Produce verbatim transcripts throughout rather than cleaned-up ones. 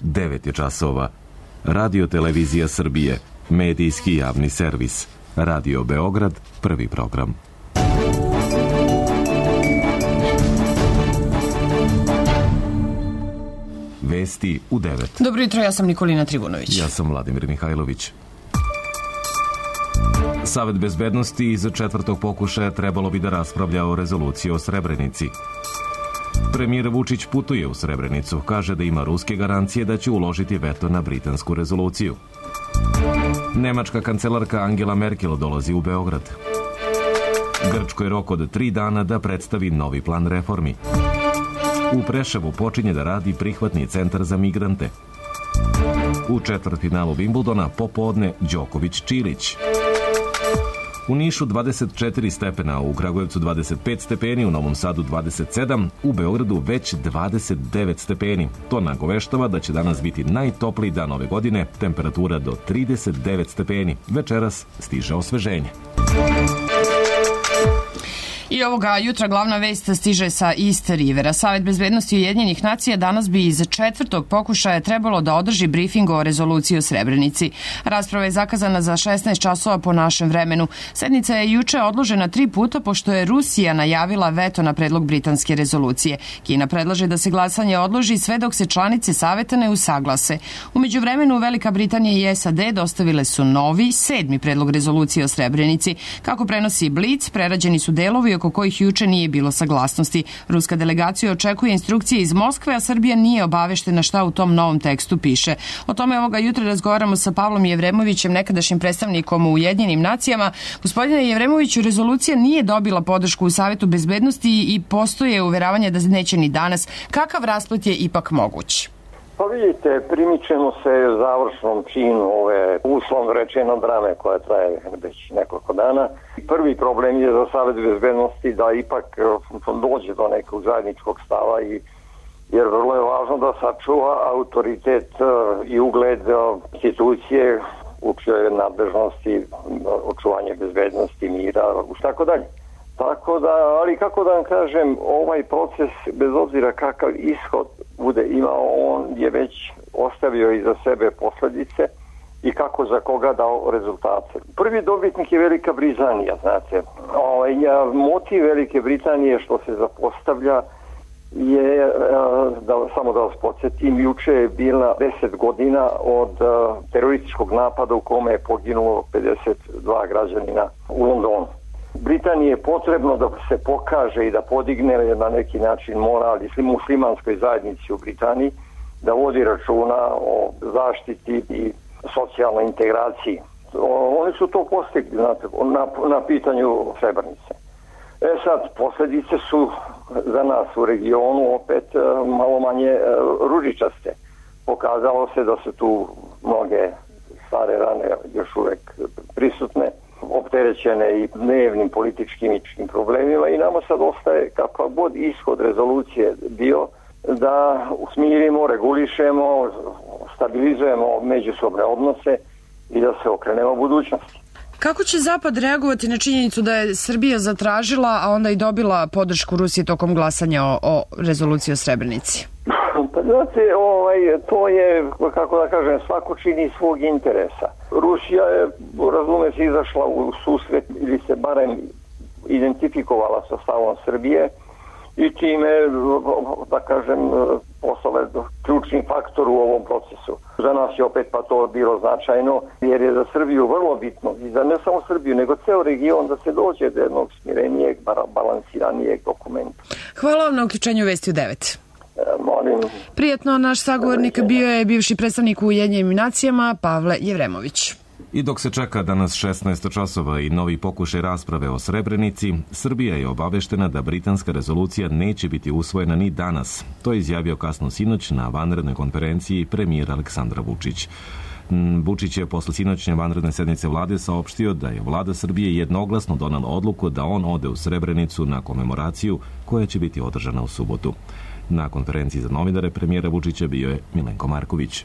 devet je časova. Radio Televizija Srbije, medijski javni servis. Radio Beograd, prvi program. Vesti u devet. Dobro jutro, ja sam Nikolina Trivunović. Ja sam Vladimir Mihajlović. Savet bezbednosti iz četvrtog pokušaja trebalo bi da raspravlja o rezoluciji o Srebrenici. Premijer Vučić putuje u Srebrenicu, kaže da ima ruske garancije da će uložiti veto na britansku rezoluciju. Nemačka kancelarka Angela Merkel dolazi u Beograd. Grčkoj rok od tri dana da predstavi novi plan reformi. U Preševu počinje da radi prihvatni centar za migrante. U četvrtfinalu Wimbledona popodne Đoković-Čilić. U Nišu dvadeset četiri stepena, u Kragujevcu dvadeset pet stepeni, u Novom Sadu dvadeset sedam, u Beogradu već dvadeset devet stepeni. To nagoveštava da će danas biti najtopliji dan ove godine, temperatura do trideset devet stepeni. Večeras stiže osveženje. I ovoga jutra glavna vest stiže sa East Rivera. Savet bezbednosti Ujedinjenih nacija danas bi iz četvrtog pokušaja trebalo da održi brifing o rezoluciji o Srebrenici. Rasprava je zakazana za šesnaest časova po našem vremenu. Sednica je juče odložena tri puta pošto je Rusija najavila veto na predlog britanske rezolucije. Kina predlaže da se glasanje odloži sve dok se članice saveta ne usaglase. U međuvremenu Velika Britanija i S A D dostavile su novi, sedmi predlog rezolucije o Srebrenici. Kako prenosi Blic, prerađeni su delovi oko kojih juče nije bilo saglasnosti. Ruska delegacija očekuje instrukcije iz Moskve, a Srbija nije obaveštena šta u tom novom tekstu piše. O tome ovoga jutra razgovaramo sa Pavlom Jevremovićem, nekadašnjim predstavnikom u Ujedinjenim nacijama. Gospodine Jevremoviću, rezolucija nije dobila podršku u Savetu bezbednosti i postoje uveravanje da neće ni danas. Kakav rasplet je ipak moguć? Pa vidite, primičemo se završnom činu ove uslovno rečeno drame koja traje već nekoliko dana. Prvi problem je za Savet bezbednosti da ipak dođe do nekog zajedničkog stava, i, jer vrlo je važno da sačuva autoritet i ugled institucije u čijoj nadležnosti očuvanje bezbednosti, mira i tako dalje. Tako da, ali kako da vam kažem, ovaj proces, bez obzira kakav ishod bude imao, on je već ostavio iza sebe posljedice i kako za koga dao rezultate. Prvi dobitnik je Velika Britanija, znate. Ovaj, motiv Velike Britanije što se zapostavlja je, da, samo da vas podsjetim, juče je bila deset godina od terorističkog napada u kome je poginulo pedeset dva građanina u Londonu. Britaniji je potrebno da se pokaže i da podigne na neki način moral i muslimanskoj zajednici u Britaniji, da vodi računa o zaštiti i socijalnoj integraciji. Oni su to postigli, znate, na, na pitanju Srebrenice. E sad, posljedice su za nas u regionu opet malo manje ružičaste. Pokazalo se da su tu mnoge stare rane još uvek prisutne, opterećene i dnevnim političkim i problemima, i nama sad ostaje kakav god ishod rezolucije bio da usmirimo, regulišemo, stabilizujemo međusobne odnose i da se okrenemo budućnosti. Kako će Zapad reagovati na činjenicu da je Srbija zatražila, a onda i dobila podršku Rusije tokom glasanja o, o rezoluciji o Srebrenici? Pa znate, ovaj, to je, kako da kažem, svako čini svog interesa. Rusija je, razume se, izašla u susret ili se barem identifikovala sa stavom Srbije i time, da kažem, postala ključni faktor u ovom procesu. Za nas je opet pa to bilo značajno, jer je za Srbiju vrlo bitno, i za ne samo Srbiju, nego ceo region, da se dođe do jednog smirenijeg, balansiranijeg dokumenta. Hvala vam na uključenju Vesti u devet. Molim. Prijatno, naš sagovornik bio je bivši predstavnik u Ujedinjenim nacijama Pavle Jevremović. I dok se čeka danas šesnaest časova i novi pokušaj rasprave o Srebrenici, Srbija je obaveštena da britanska rezolucija neće biti usvojena ni danas. To je izjavio kasno sinoć na vanrednoj konferenciji premijer Aleksandar Vučić. Vučić je posle sinoćnje vanredne sednice vlade saopštio da je vlada Srbije jednoglasno donela odluku da on ode u Srebrenicu na komemoraciju koja će biti održana u subotu. Na konferenciji za novinare premijera Vučića bio je Milenko Marković.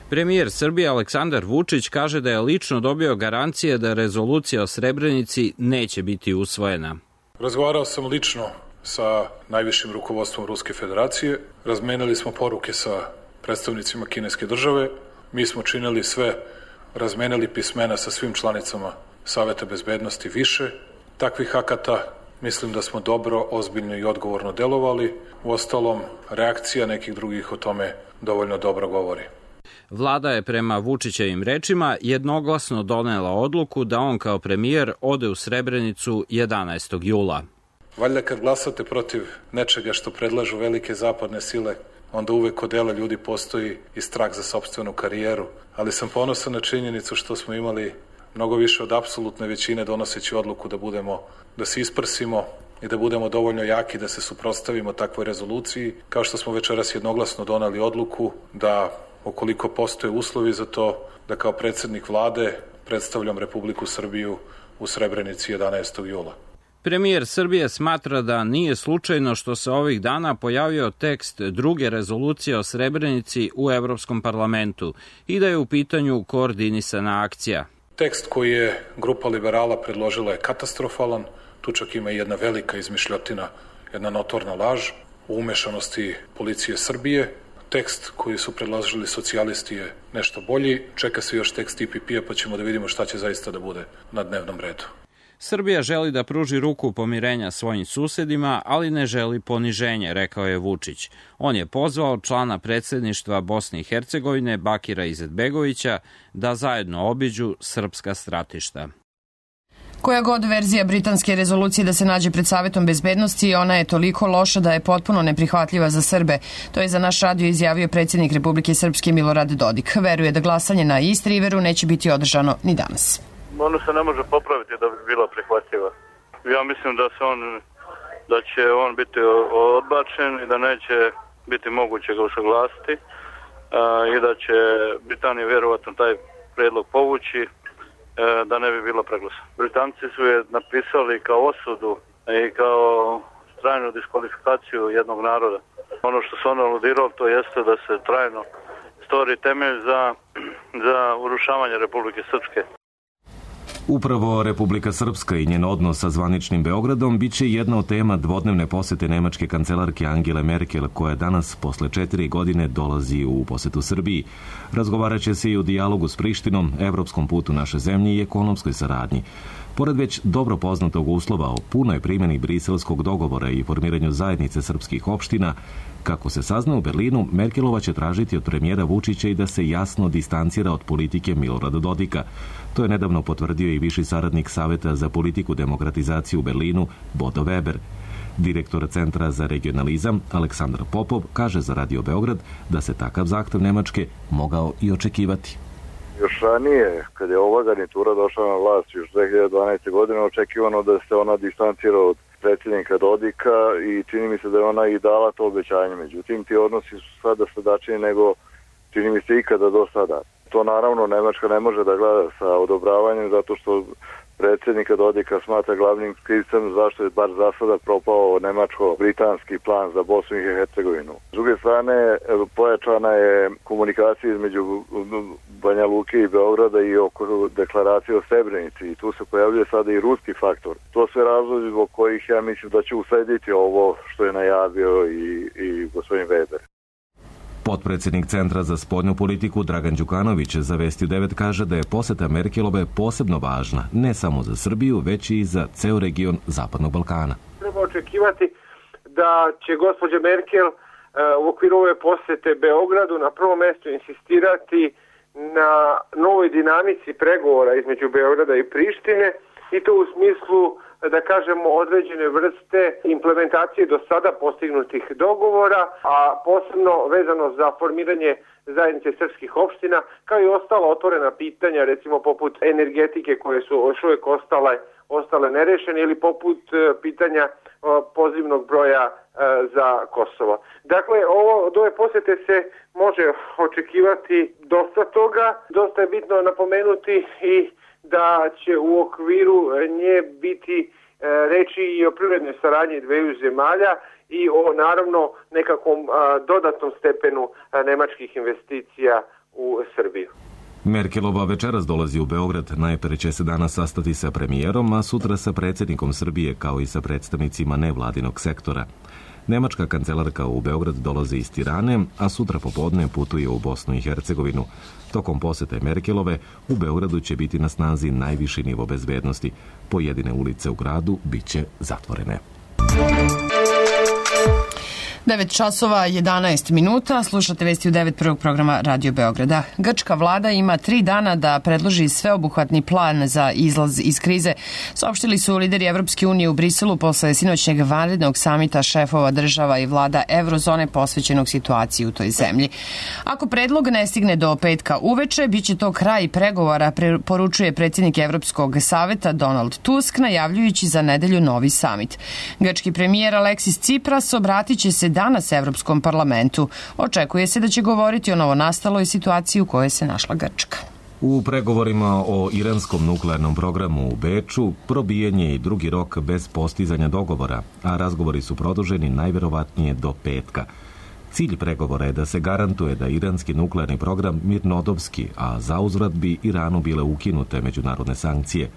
Premijer Srbije Aleksandar Vučić kaže da je lično dobio garancije da rezolucija o Srebrenici neće biti usvojena. Razgovarao sam lično sa najvišim rukovodstvom Ruske federacije, razmenili smo poruke sa predstavnicima kineske države. Mi smo činili sve, razmenili pismena sa svim članicama Saveta bezbednosti više takvih akata. Mislim da smo dobro, ozbiljno i odgovorno delovali. Uostalom, reakcija nekih drugih o tome dovoljno dobro govori. Vlada je prema Vučićevim rečima jednoglasno donela odluku da on kao premijer ode u Srebrenicu jedanaestog jula. Valjda kad glasate protiv nečega što predlažu velike zapadne sile, onda uvek kod dela ljudi postoji i strah za sopstvenu karijeru. Ali sam ponosan na činjenicu što smo imali mnogo više od apsolutne većine donoseći odluku da budemo, da se isprsimo i da budemo dovoljno jaki da se suprotstavimo takvoj rezoluciji, kao što smo večeras jednoglasno doneli odluku da, ukoliko postoje uslovi za to, da kao predsednik vlade predstavljam Republiku Srbiju u Srebrenici jedanaestog jula. Premijer Srbije smatra da nije slučajno što se ovih dana pojavio tekst druge rezolucije o Srebrenici u Evropskom parlamentu i da je u pitanju koordinisana akcija. Tekst koji je grupa liberala predložila je katastrofalan, tu čak ima i jedna velika izmišljotina, jedna notorna laž u umešanosti policije Srbije. Tekst koji su predložili socijalisti je nešto bolji, čeka se još tekst I P P-a pa ćemo da vidimo šta će zaista da bude na dnevnom redu. Srbija želi da pruži ruku pomirenja svojim susedima, ali ne želi poniženje, rekao je Vučić. On je pozvao člana predsedništva Bosne i Hercegovine Bakira Izetbegovića da zajedno obiđu srpska stratišta. Koja god verzija britanske rezolucije da se nađe pred Savetom bezbednosti, ona je toliko loša da je potpuno neprihvatljiva za Srbe. To je za naš radio izjavio predsjednik Republike Srpske Milorad Dodik. Veruje da glasanje na East Riveru neće biti održano ni danas. Ono se ne može popraviti da bi bila prihvatljiva. Ja mislim da se on, da će on biti odbačen i da neće biti moguće ga usaglasiti i da će Britanija vjerovatno taj predlog povući da ne bi bilo preglasa. Britanci su je napisali kao osudu i kao trajnu diskvalifikaciju jednog naroda. Ono što su ono aludirali to jeste da se trajno stvori temelj za, za urušavanje Republike Srpske. Upravo Republika Srpska i njen odnos sa zvaničnim Beogradom biće jedna od tema dvodnevne posete nemačke kancelarke Angele Merkel, koja danas posle četiri godine dolazi u posetu Srbiji. Razgovarat će se i o dijalogu s Prištinom, evropskom putu naše zemlje i ekonomskoj saradnji. Pored već dobro poznatog uslova o punoj primjeni briselskog dogovora i formiranju zajednice srpskih opština, kako se sazna u Berlinu, Merkelova će tražiti od premijera Vučića i da se jasno distancira od politike Milorada Dodika. To je nedavno potvrdio i viši saradnik Saveta za politiku demokratizaciju u Berlinu, Bodo Weber. Direktor Centra za regionalizam, Aleksandar Popov, kaže za Radio Beograd da se takav zahtev Nemačke mogao i očekivati. Još ranije, kad je ova garnitura došla na vlast još dve hiljade dvanaeste. godine, očekivano da se ona distancira od predsjednika Dodika i čini mi se da je ona i dala to obećanje. Međutim, ti odnosi su sada sadačniji nego čini mi se ikada do sada. To naravno Nemačka ne može da gleda sa odobravanjem zato što predsjednika Dodika smatra glavnim krivcem zašto je bar za sada propao nemačko-britanski plan za Bosnu i Hercegovinu. S druge strane, pojačana je komunikacija između Banja Luke i Beograda i oko deklaracije o Srebrenici i tu se pojavljuje sada i ruski faktor. To sve razlozi zbog kojih ja mislim da će uslediti ovo što je najavio i, i gospodin Weber. Potpredsjednik Centra za spoljnu politiku Dragan Đukanović za Vesti devet kaže da je poseta Merkelove posebno važna, ne samo za Srbiju, već i za ceo region Zapadnog Balkana. Treba očekivati da će gospođa Merkel u okviru ove posete Beogradu na prvom mjestu insistirati na novoj dinamici pregovora između Beograda i Prištine i to u smislu, da kažemo, određene vrste implementacije do sada postignutih dogovora, a posebno vezano za formiranje zajednice srpskih opština, kao i ostala otvorena pitanja, recimo poput energetike koje su još uvijek ostale, ostale nerešene ili poput pitanja pozivnog broja za Kosovo. Dakle, ovo, od ove posete se može očekivati dosta toga. Dosta je bitno napomenuti i da će u okviru nje biti reči i o privrednoj saradnji dveju zemalja i o naravno nekakvom dodatnom stepenu nemačkih investicija u Srbiju. Merkelova večeras dolazi u Beograd, najpre će se danas sastati sa premijerom, a sutra sa predsjednikom Srbije kao i sa predstavnicima nevladinog sektora. Nemačka kancelarka u Beograd dolazi iz Tirane, a sutra popodne putuje u Bosnu i Hercegovinu. Tokom posete Merkelove u Beogradu će biti na snazi najviši nivo bezbednosti. Pojedine ulice u gradu biće zatvorene. devet časova jedanaest minuta, slušate vesti u devet prvog programa Radio Beograda. Grčka vlada ima tri dana da predloži sveobuhvatni plan za izlaz iz krize, saopštili su lideri Evropske unije u Briselu posle sinoćnjeg vanrednog samita šefova država i vlada Evrozone posvećenog situaciji u toj zemlji. Ako predlog ne stigne do petka uveče, bit će to kraj pregovora, poručuje predsjednik Evropskog saveta Donald Tusk, najavljujući za nedelju novi samit. Grčki premijer Aleksis Tsipras obratit će se danas Evropskom parlamentu. Očekuje se da će govoriti o novonastaloj situaciji u kojoj se našla Grčka. U pregovorima o iranskom nuklearnom programu u Beču probijen je i drugi rok bez postizanja dogovora, a razgovori su produženi najverovatnije do petka. Cilj pregovora je da se garantuje da iranski nuklearni program mirnodopski, a zauzvrat bi Iranu bile ukinute međunarodne sankcije.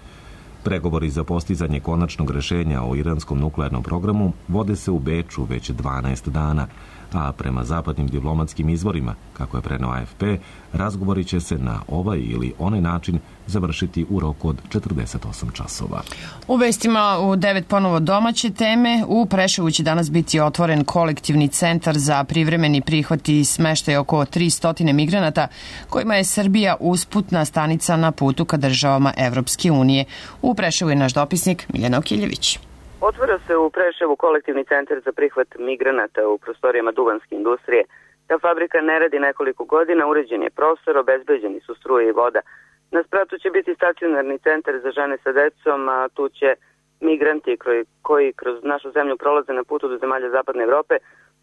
Pregovori za postizanje konačnog rešenja o iranskom nuklearnom programu vode se u Beču već dvanaest dana, a prema zapadnim diplomatskim izvorima, kako je preneo A F P, razgovori će se na ovaj ili onaj način završiti u roku od četrdeset osam časova. U vestima u devet ponovo domaće teme. U Preševu će danas biti otvoren kolektivni centar za privremeni prihvat i smeštaj oko tristo migranata, kojima je Srbija usputna stanica na putu ka državama Evropske unije. U Preševu je naš dopisnik Miljana Okiljević. Otvara se u Preševu kolektivni centar za prihvat migranata u prostorijama duvanske industrije. Ta fabrika ne radi nekoliko godina, uređen je prostor, obezbeđeni su struje i voda. Na spratu će biti stacionarni centar za žene sa decom, a tu će migranti koji kroz našu zemlju prolaze na putu do zemalja Zapadne Evrope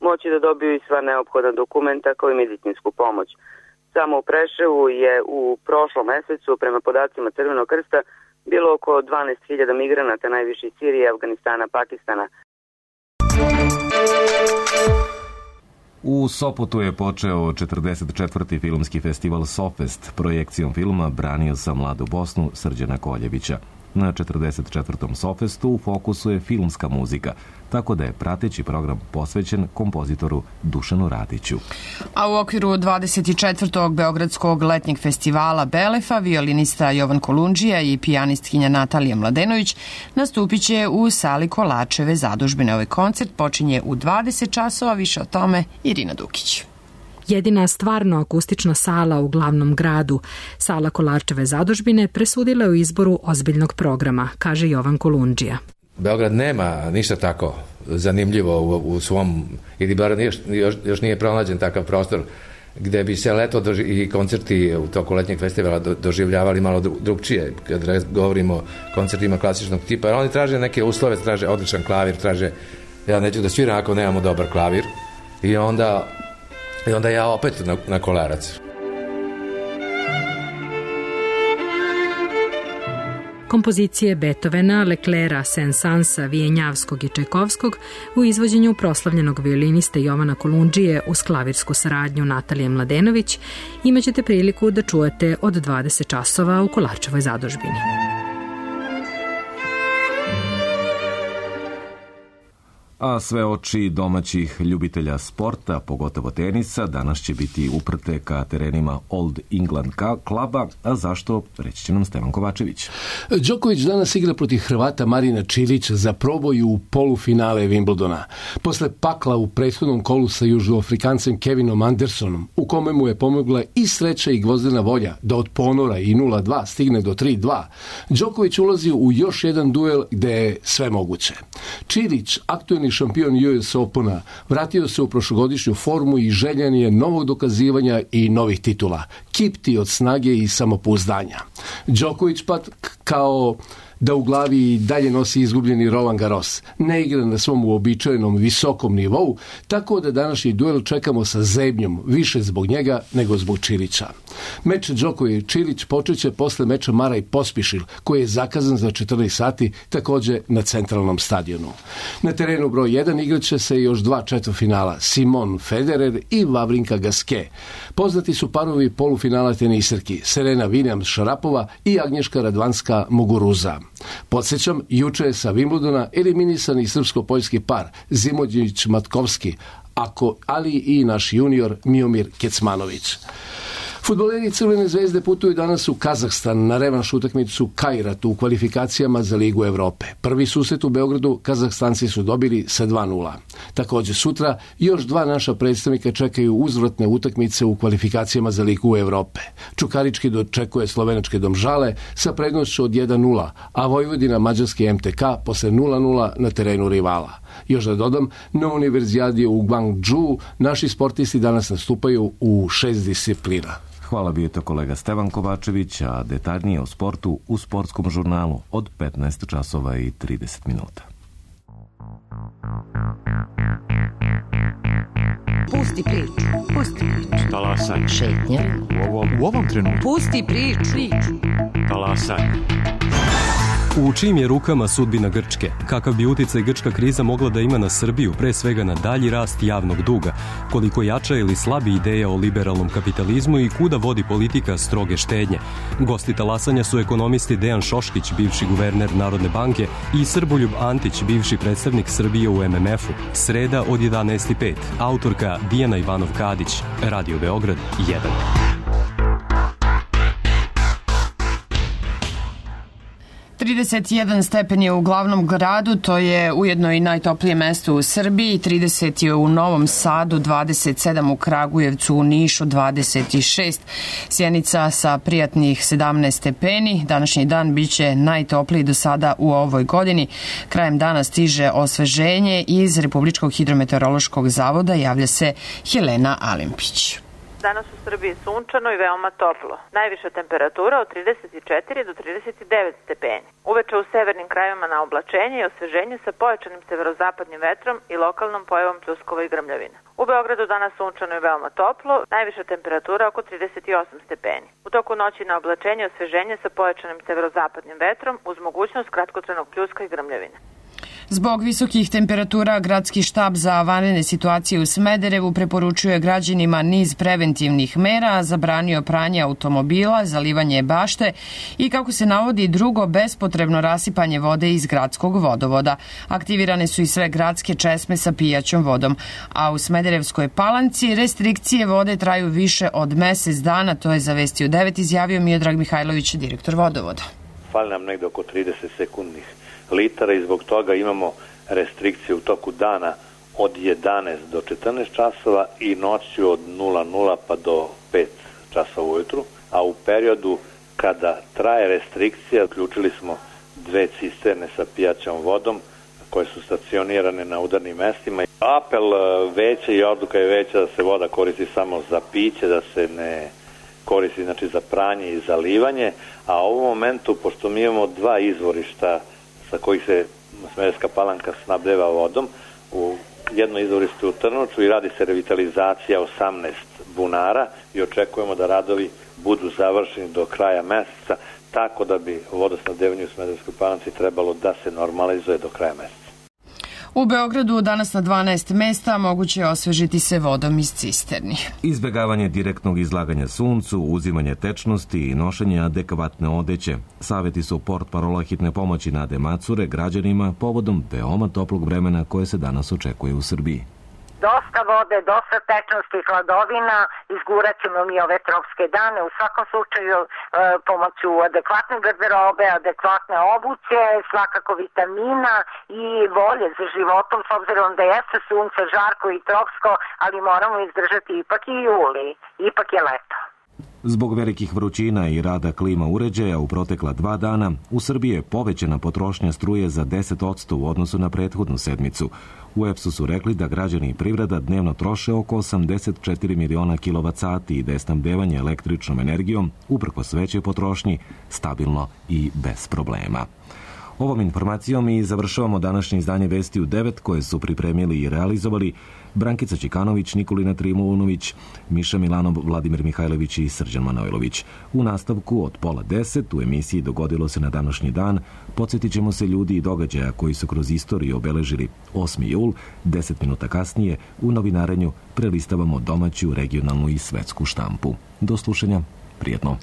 moći da dobiju i sva neophodna dokumenta kao i medicinsku pomoć. Samo u Preševu je u prošlom mesecu, prema podacima Crvenog krsta, bilo oko dvanaest hiljada migranata, najviše iz Sirije, Afganistana, Pakistana. U Sopotu je počeo četrdeset četvrti filmski festival Sofest. Projekcijom filma Branio sam mladu Bosnu Srđana Koljevića. Na četrdeset četvrtom Sofestu u fokusu je filmska muzika, tako da je prateći program posvećen kompozitoru Dušanu Radiću. A u okviru dvadeset četvrtog Beogradskog letnjeg festivala Belefa violinista Jovan Kolundžija i pijanistkinja Natalija Mladenović nastupit će u sali Kolačeve zadužbine. Ovaj koncert počinje u dvadeset časova, više o tome Irina Dukić. Jedina stvarno akustična sala u glavnom gradu, sala Kolačeve zadužbine, presudila je u izboru ozbiljnog programa, kaže Jovan Kolundžija. Beograd nema ništa tako zanimljivo u, u svom, ili bar još, još, još nije pronađen takav prostor gde bi se leto doži, i koncerti u toku letnjeg festivala do, doživljavali malo drugčije, kad govorimo o koncertima klasičnog tipa, jer oni traže neke uslove, traže odličan klavir, traže, ja neću da sviram ako nemamo dobar klavir, i onda I onda ja opet na, na kolarac. Kompozicije Beethovena, Leclerca, Saint-Sansa, Vijenjavskog i Čajkovskog u izvođenju proslavljenog violiniste Jovana Kolundžije uz klavirsku saradnju Natalije Mladenović imaćete priliku da čujete od dvadeset časova u Kolačevoj zadužbini. A sve oči domaćih ljubitelja sporta, pogotovo tenisa, danas će biti uprte ka terenima Old England kluba, a zašto, reći će nam Stevan Kovačević. Đoković danas igra protiv Hrvata Marina Čilića za proboj u polufinale Wimbledona. Posle pakla u prethodnom kolu sa Južnoafrikancem Kevinom Andersonom, u kome mu je pomogla i sreća i gvozdena volja da od ponora i nula dva stigne do tri dva, Đoković ulazi u još jedan duel gde je sve moguće. Čilić, aktuelni šampion U S Opena, vratio se u prošlogodišnju formu i željan je novog dokazivanja i novih titula. Kipti od snage i samopouzdanja. Đoković pa kao da u glavi i dalje nosi izgubljeni Roland Garros. Ne igra na svom uobičajenom visokom nivou, tako da današnji duel čekamo sa zebnjom, više zbog njega nego zbog Čilića. Meč Đoković-Čilić počeće posle meča Mara i Pospišil, koji je zakazan za četrnaest sati, takođe na centralnom stadionu. Na terenu broj jedan igraće se još dva četvrtfinala, Simon Federer i Vavrinka Gasquet. Poznati su parovi polufinala teniserki, Serena Williams Šarapova i Agnješka Radvanska Muguruza. Podsjećam, juče je sa Wimbledona eliminisan i srpsko-poljski par Zimodjić-Matkovski, ako, ali i naš junior Miomir Kecmanović. Fudbaleri Crvene zvezde putuju danas u Kazahstan na revanš utakmicu Kajratu u kvalifikacijama za Ligu Evrope. Prvi susret u Beogradu Kazahstanci su dobili sa dva nula. Također sutra još dva naša predstavnika čekaju uzvratne utakmice u kvalifikacijama za Ligu Evrope. Čukarički dočekuje slovenačke Domžale sa prednošću od jedan nula, a Vojvodina mađarski M T K posle nula nula na terenu rivala. Još da dodam, na univerzijadi u Gwangju naši sportisti danas nastupaju u šest disciplina. Hvala, bio je to kolega Stevan Kovačević, a detaljnije o sportu u Sportskom žurnalu od petnaest časova i trideset minuta. Pusti priču, pusti priču. Talasaj. Šetnja. U ovom, u ovom trenutku. Pusti priču. Talasaj. U čijim je rukama sudbina Grčke? Kakav bi uticaj grčka kriza mogla da ima na Srbiju, pre svega na dalji rast javnog duga? Koliko jača ili slabi ideja o liberalnom kapitalizmu i kuda vodi politika stroge štednje? Gosti talasanja su ekonomisti Dejan Šoškić, bivši guverner Narodne banke, i Srboljub Antić, bivši predstavnik Srbije u M M F-u. Sreda od jedanaest i pet. Autorka Dijana Ivanov-Kadić. Radio Beograd jedan. trideset jedan stepen je u glavnom gradu, to je ujedno i najtoplije mesto u Srbiji, trideset je u Novom Sadu, dvadeset sedam u Kragujevcu, u Nišu dvadeset šest, Sjenica sa prijatnih sedamnaest stepeni. Današnji dan biće najtopliji do sada u ovoj godini. Krajem dana stiže osveženje iz Republičkog hidrometeorološkog zavoda, javlja se Helena Alimpić. Danas u Srbiji sunčano i veoma toplo. Najviša temperatura od trideset četiri do trideset devet stepeni. Uveče u severnim krajevima na oblačenje i osveženje sa pojačanim severozapadnim vetrom i lokalnom pojavom pljuskova i grmljavina. U Beogradu danas sunčano i veoma toplo, najviša temperatura oko trideset osam stepeni. U toku noći na oblačenje i osveženje sa pojačanim severozapadnim vetrom uz mogućnost kratkotrenog pljuska i grmljavine. Zbog visokih temperatura, Gradski štab za vanredne situacije u Smederevu preporučuje građanima niz preventivnih mera, zabranio pranje automobila, zalivanje bašte i, kako se navodi, drugo bespotrebno rasipanje vode iz gradskog vodovoda. Aktivirane su i sve gradske česme sa pijaćom vodom. A u Smederevskoj Palanci restrikcije vode traju više od mesec dana, to je za Vesti u devet izjavio Miodrag Mihajlović, direktor vodovoda. Fali nam negde oko trideset sekundnih litara i zbog toga imamo restrikcije u toku dana od jedanaest do četrnaest časova i noću od nula nula pa do pet časova ujutru, a u periodu kada traje restrikcija uključili smo dve cisterne sa pijaćom vodom koje su stacionirane na udarnim mestima. Apel veća i odluka je veća da se voda koristi samo za piće, da se ne koristi znači za pranje i zalivanje, a u ovom momentu, pošto mi imamo dva izvorišta sa kojih se Smederevska Palanka snabdeva vodom, u jedno izvorište u Trnovču i radi se revitalizacija osamnaest bunara i očekujemo da radovi budu završeni do kraja meseca, tako da bi vodosnabdevanje u Smederevskoj Palanci trebalo da se normalizuje do kraja meseca. U Beogradu danas na dvanaest mesta moguće je osvežiti se vodom iz cisterni. Izbjegavanje direktnog izlaganja suncu, uzimanje tečnosti i nošenje adekvatne odeće. Savjeti su portparola hitne pomoći Nade Macure građanima povodom veoma toplog vremena koje se danas očekuje u Srbiji. Dosta vode, dosta tečnosti, hladovina, izgurat ćemo mi ove tropske dane. U svakom slučaju e, pomoću adekvatne garderobe, adekvatne obuće, svakako vitamina i volje za životom, s obzirom da jeste sunce žarko i tropsko, ali moramo izdržati ipak i juli, ipak je leto. Zbog velikih vrućina i rada klima uređaja u protekla dva dana, u Srbiji je povećana potrošnja struje za deset posto u odnosu na prethodnu sedmicu. U E P S-u su rekli da građani i privreda dnevno troše oko osamdeset četiri miliona kilovat sati i da je snabdevanje električnom energijom, uprkos većoj potrošnji, stabilno i bez problema. Ovom informacijom i završavamo današnje izdanje Vesti u devet koje su pripremili i realizovali Brankica Čikanović, Nikolina Trimunović, Miša Milanov, Vladimir Mihajlović i Srđan Manojlović. U nastavku od pola deset u emisiji Dogodilo se na današnji dan podsjetit ćemo se ljudi i događaja koji su kroz istoriju obeležili osmi jul. Deset minuta kasnije u novinarenju prelistavamo domaću, regionalnu i svetsku štampu. Do slušanja, prijetno.